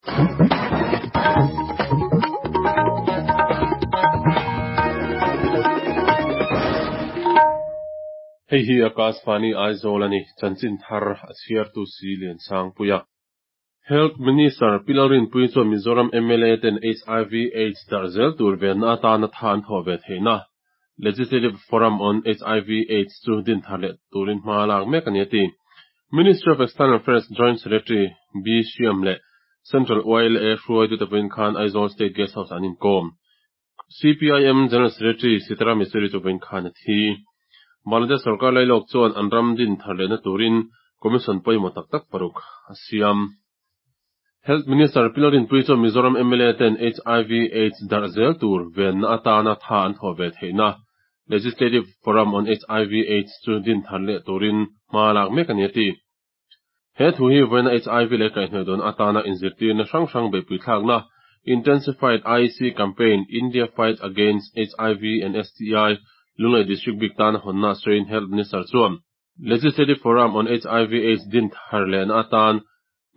Hei hi Akashvani Aizawl a ni, chanchin thar a chhiartu si Liansangpuia. Health Minister Pi Lalrinpuii chuan Mizoram mla ten hiv Aids darh zel tur venna atana tha an thawh ve theihna Legislative Forum on hiv Aids chu din thar leh turin hma a lak mek a ni a ti. Ministry of External Affairs Joint Secretary B Shyam leh Central YLA hruaitute pawhin khan Aizawl State Guest House ah an inkawm. CPIM General Secretary Sitaram Yechury chu vawiin khan a thi. Bangladesh sorkar lailawk chuan an ram din thar lehna turin Commission pawimawh tak tak paruk a siam. Health Minister Pi Lalrinpuii chuan Mizoram mla ten hiv Aids darh zel tur venna atana tha an thawh ve theihna Legislative Forum on hiv Aids chu din thar leh turin hma lak mek a ni a ti. He thu hi vawiina hiv leh kaihhnawih dawn atana inzirtirna hrang hrang beihpui thlakna, Intensified IEC Campaign, India Fight Against hiv and STI, Lunglei District bik tana hawnna sawiin Health Minister chuan Legislative Forum on hiv Aids din thar lehna atan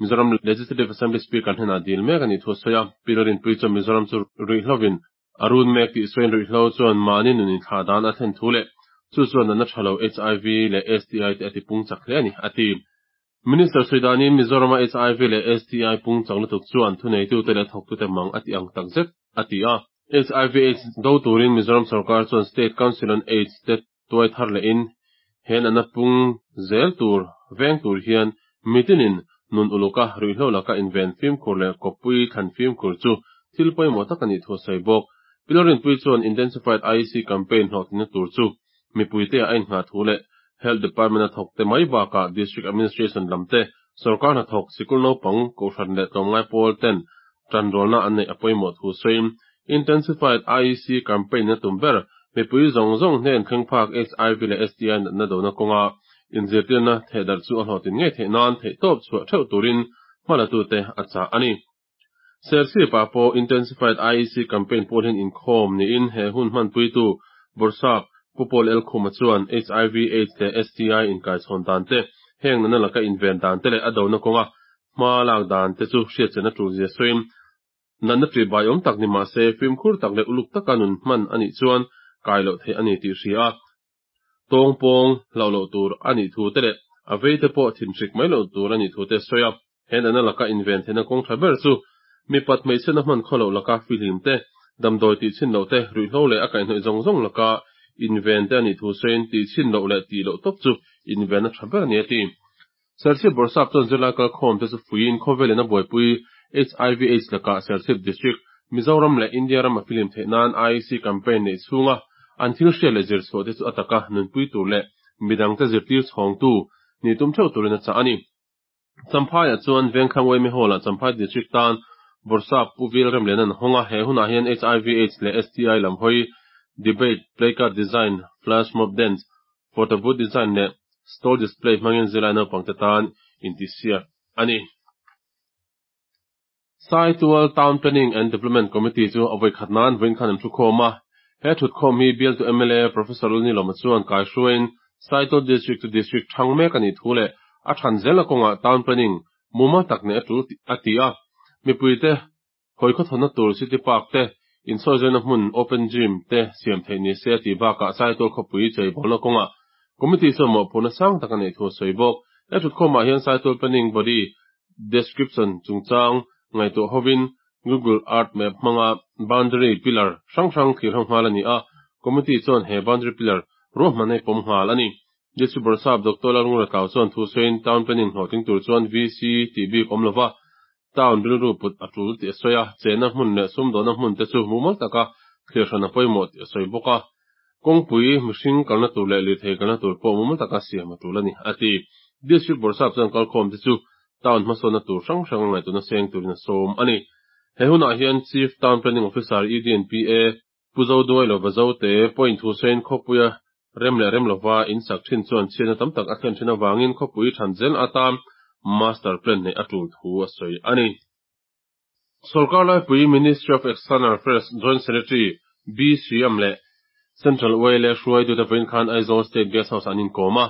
Mizoram Legislative Assembly Speaker hnenah dil mek a nih thu a sawi a. Pi Lalrinpuii chuan Mizoram chu ruihhlovin a run mek tih sawiin ruihhlo chuan mahni nun inthlah dan a thlen thu leh chu chuan natna tha lo hiv leh STI te a ti pung chak hle a ni, a ti. Minister sawi danin Mizorama hiv leh STI pung chak lutuk chuan thuneitute leh thawktute mang a ti ang tak zet, a ti a. Hiv Aids do turin Mizoram sorkar chuan State Council on Aids te tuai thar lehin he natna pung zel tur veng tur hian mitinin nun uluka ruihhlo laka inven fimkhur leh kawppui thlan fimkhur chu thil pawimawh tak a nih thu a sawi bawk. Pi Lalrinpuii chuan Intensified IEC campaign hlawhtlinna tur chu mipuite a innghah thu leh Health Department a thawkte mai bakah District Administration lamte, sorkar hnathawk, sikul naupang, kohhran leh tlawmngai pawl ten tanrualna an neih a pawimawh thu sawiin Intensified IEC campaign a tum ber mipui zawng zawng hnen thleng phak hiv leh STI natna dona kawnga inzirtirna thehdarh chu a hlawhtlin ngei theih nan theihtawp chhuah theuh turin hmalatute a chah a ni. Serchhip ah pawh Intensified IEC campaign pawl hian inkhawm niin he hun hmanpuitu Bawrhsap Pu Paul Elkhuma chuan hiv, Aids leh STI inkaichhawn dan te, heng natna laka inven dan te leh a dona kawnga hma lak dan te chu hriatchian a tul zia sawiin Natna ṭih bai awm tak ni mah se, fimkhur tak leh uluk taka nun hman a nih chuan kai loh theih a ni tih hria a, tawng pawng hlauh loh tur a nih thu te leh a vei te pawh thinhrik mai loh tur a nih thu te a sawi a. He natna laka inven theihna kawng ṭha ber chu mipat hmeichhiatna hman khaw loh laka fihlim te, damdawi tih chhin loh te, ruihhlo leh a kaihhnawih zawng zawng laka inven te a nih thu sawiin tih chhin loh leh tih loh tawp chu invenna ṭha ber a ni a ti. Serchhip Bawrhsap chuan zirlai kalkhawm te chu fuiin khawvelin a buaipui hiv Aids lakah Serchhip District, Mizoram leh India ram a filim theih nan IEC campaign neih chhunga an thil hriat leh zir chhuah te chu a taka nunpui tur leh midangte zirtir chhawngtu nih tum theuh turin a chah a ni. Champhaiah chuan Vengthlang Yma Hall-ah Champhai District tan Bawrhsap Pu Vil Remlian an hawng a, he hunah hian hiv Aids leh STI lam hawi debate, playcard design, flash mob dance, Photo booth design leh stall display hmangin zirlai naupangte tan intihsiak a ni. Saitual Town Planning and Development Committee chu a vawikhat nan vawiin khan an thukhawm a. He thutkhawm hi bialtu mla Professor Lalnilawma chuan kaihruaiin Saitual District chu District thang mek a nih thu leh a than zelna kawngah Town Planning mumal tak neih a tul a ti a. Mipuite Hawi khawthawna tur City Park te, insawizaina hmun Open Gym te siam theih ni se a tih bakah Saitual khawpui cheibawlna kawngah Committee chuan mawhphurhna sang tak a neih thu a sawi bawk. He thutkhawmah hian Saitual Planning Body Description chungchang ngaihtuah hovin Google Earth Map hmanga Boundary Pillar hrang hrang thlir ho nghal a ni a, Committee chuan he Boundary Pillar ruahman hi pawm nghal a ni. District Bawrhsap Doctor Lalngura Tlau chuan thu sawiin Town Planning hlawhtling tur chuan VC tih bik awm lova Town rilru put a tul tih a sawi a, chenna hmun leh sumdawhna hmun te chu mumal taka thlir hran a pawimawh tih a sawi bawk a. Kawngpui, mihring kalna tur leh lirthei kalna tur pawh mumal taka siam a tul a ni, a ti. District Bawrhsap chuan kalkhawm te chu town hmasawnna tur hrang hrang a ngaihtuahna seng turin a sawm a ni. He hunah hian Chief Town Planning Officer EDNPA, Pu Zoduai lova Zote pawhin thu sawiin khawpuia rem leh rem lova in sak thin chuan chhiatna tam tak a thlen thin avangin khawpui than zel atan Master Plan neih a tul thu a sawi a ni. Sorkar laipui Ministry of External Affairs Joint Secretary B Sriam leh Central YLA hruaitute vawiin khan Aizawl State Guest House ah an inkawm a.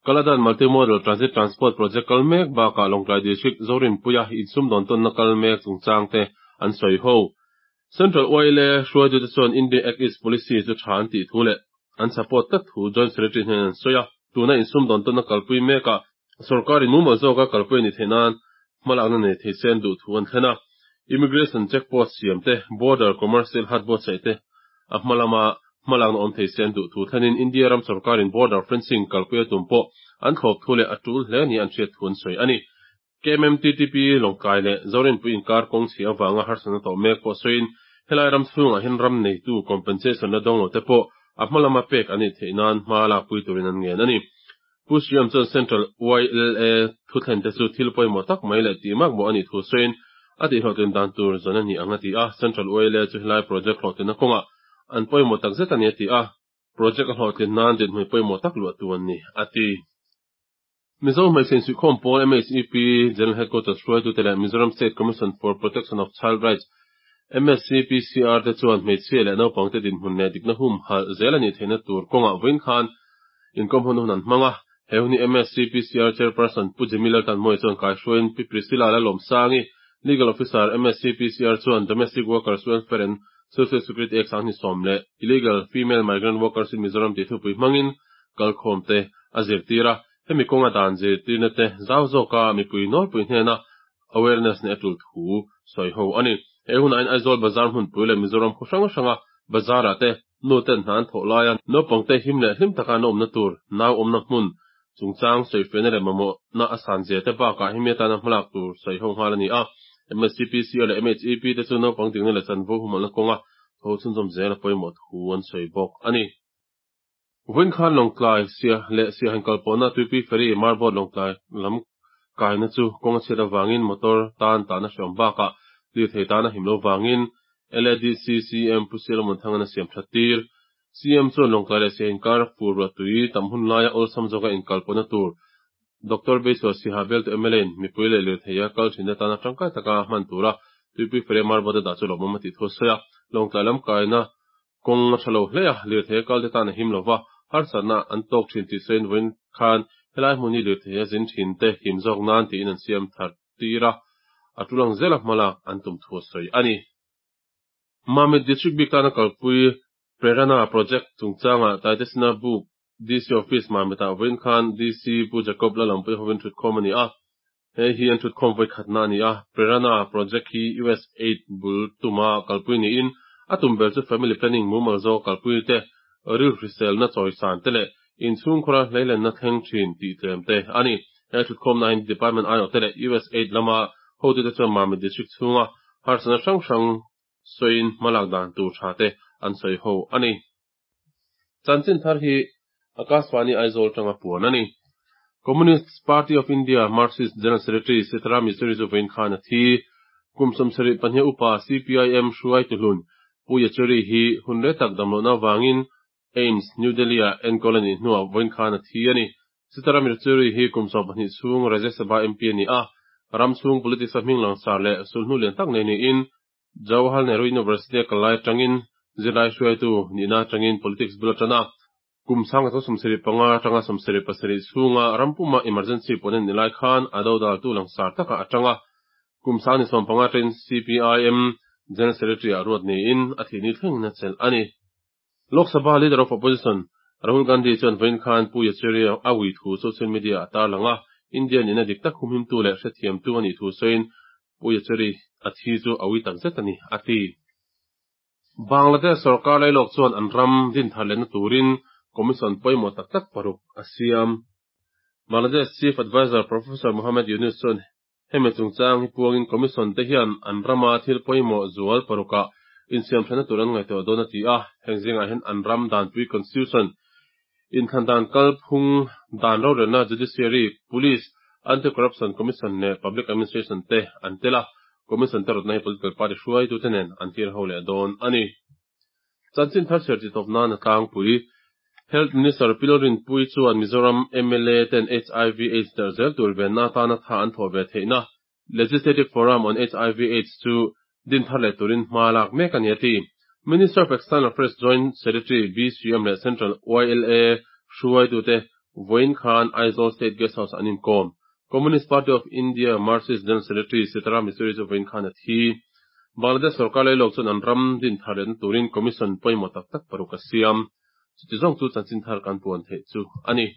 Kaladan Multimodal Transit Transport Project kal mek bakah Lawngtlai District Zorinpuia insumdawn tawnna kal mek chungchang te an sawi ho. Central YLA hruaitute chuan India Act East Policy chu tha an tih thu leh an support tlat thu Joint Secretary hnen an sawi a. Tuna insumdawn tawnna kalpui mekah sorkarin mumal zawka kalpui a ni theih nan hmalakna nei thei se an duh thu an thlen a. Immigration check post siam te, border commercial hut buatsaih te a hma lama hmalakna awm thei se an duh thu thlenin India ram sorkarin border fencing kalpui a tum pawh an thlawp thu leh a tul hle nia an hriat thu an sawi a ni. KMMTTP Lawngtlai leh Zorinpui inkar kawng chhia avanga harsatna tawh mek pawh sawiin helai ram chhungah hian ram neitu compensation la dawng lo te pawh a hma lama pek an nih theih nan hma lakpui turin an ngen a ni. Pu Sriam chuan Central YLA thuthlen te chu thil pawimawh tak mai leh tih makmawh a nih thu sawiin a tihhlawhtlin dan tur zawn a ni ang a ti a, Central YLA chu helai project hlawhtlinna kawngah an pawimawh takzet a ni a ti a, project a hlawhtlin nan dinhmun pawimawh tak luahtu an ni a ti. Mizo hmeichhe insuihkhawm pawl MHEP General Headquarters hruaitute leh Mizoram State Commission for Protection of Child Rights, MSCPCR, te chuan hmeichhia leh naupangte dinhmun leh dikna humhalh zel a nih theihna tur kawngah vawiin khan inkawmhun hun an hmang a. He hun hi MSCPCR Chairperson Pu Jimmy Laltanmawia chuan kaihruaiin Pi Priscilla Lalawmsangi, Legal Officer, MSCPCR chuan Domestic Workers Welfare and Social Security Act 2010 leh Illegal Female Migrant Workers in Mizoram tih thupui hmangin kalkhawmte a zirtir a, hemi kawnga dan zirtirna te zau zawka mipui nawlpui hnena awareness neih a tul thu sawi ho a ni. He hunah hian Aizawl Bazar hmunpui leh Mizoram khaw hrang hranga bazar-ah te nu ten hna an thawh laia naupangte him leh hlim taka an awmna tur nau awmna hmun chungchang sawifiahna leh mamawhna a san zia te bakah hemi atana hmalak tur sawi ho nghal a ni a. MSCPCO leh MHEP te chu naupang dikna leh chanvo humhalhna kawnga tho chhunzawm zel a pawimawh thu an sawi bawk a ni. Vawiin khan Lawngtlai Siah leh Siahan kalpawhna Tuipui Ferry Marbot Lawngtlai lam kaina chu kawng a chhiat avangin motor tan tahna hreawm bakah lirthei tan a him lo vangin LADC CM Pu Sialawmon Thangan a siam that tir. CM chuan Lawngtlai leh Siahin kar fur ruah tui tam hun laia awlsam zawka inkalpawhna tur Doctor Beisua Siha Beltu mla in mipui leh lirtheia kal thin atana tangkai taka hman tura Tuipui Ferry Marbot a dah chu lawmawm a tih thu a sawi a. Lawngtlai lam kaina Kawng a tha lo hle a, lirthei a kalte tan a him lo va, harsatna an tawk thin tih sawiin vawiin khan helai hmun hi lirthei a zin thin te him zawk nan tiin an siam thar tir a, a tul ang zela hmalak an tum thu a sawi a ni. Mamit District bik tana kalpui Prerana Project chungchangah Taitesina Buk DC Office Mamitah vawiin khan DC Pu Jacob Lalampui hovin thutkhawm a ni a, Hei hi an thutkhawm vawikhatna a ni a, Prerana project hi USAID bul tuma kalpui niin a tum ber chu family planning mumal zawk kalpui te, rilhriselna chawisan te leh inchhungkhura hleilenna thleng thin tih tlem te a ni. He thutkhawmna hian Department aiawh te leh USAID lama hotute chuan Mamit District chhunga harsatna hrang hrang sawiin hmalak dan tur tha te an sawi ho a ni. Chanchin thar hi Akashvani Aizawl tanga puan a ni. Communist Party of India Marxist General Secretary Sitaram Yechury chu vawiin khan a thi. Kum 72 upa CPIM hruaitu hlun Pu Yechury hi hun rei tak damlohna avangin AIIMS, New Delhi-ah enkawl a nih hnuah vawiin khan a thi a ni. Sitaram Yechury hi kum 12 chhung Rajya Sabha MP a ni a, ram chhung politics-a hming langsar leh sulhnu lian tak nei niin Jawaharlal Nehru University a kal lai atangin zirlai hruaitu nihna atangin politics bul a tan a. Kum 1975 atanga 77 chhunga ram puma emergency pawh a ni lai khan a dodaltu langsar takah a tang a. Kum 2015 atangin CPIM General Secretary ah ruat niin a thihni thlengin a chelh a ni. Lok Sabha Leader of Opposition Rahul Gandhi chuan vawiin khan Pu Yechury a ui thu social media ah a tarlang a, India nihna dik tak humhimtu leh hrethiamtu a nih thu sawiin Pu Yechury a thi chu a ui takzet a ni, a ti. Bangladesh sorkar lailawk chuan an ram dinthar lehna turin commission pawimawh tak tak paruk a siam. Bangladesh Chief Adviser Professor Muhammad Yunus chuan Hemi chungchang hi puangin Commission te hian an rama thil pawimawh zual parukah insiamthatna tur an ngaihtuah dawn a ti a, heng zingah hian an ram danpui Constitution, inthlan dan kalphung dan rorelna Judiciary, Police, Anti-Corruption Commission leh Public Administration te an tel a, Commission te rawtna hi political party hruaitute nen an tir ho leh dawn a ni. Chanchin thar chhiar titawp nan a tlangpui. Health Minister Pi Lalrinpuii chuan Mizoram mla ten hiv Aids darh zel tur venna atana tha an thawh ve theihna Legislative Forum on hiv Aids chu din thar leh turin hma lak mek a ni a ti. Minister of External Affairs Joint Secretary BCM leh Central YLA hruaitute Vawiin khan Aizawl State Guest House-ah an inkawm. Communist Party of India Marxist General Secretary Sitaram Yechury chu vawiin khan a thi. Bangladesh sorkar leilawk chuan an ram din thar lehna turin Commission pawimawh tak tak paruk a siam. Chuti zawng chu chanchin thar kan puan theih chu a ni.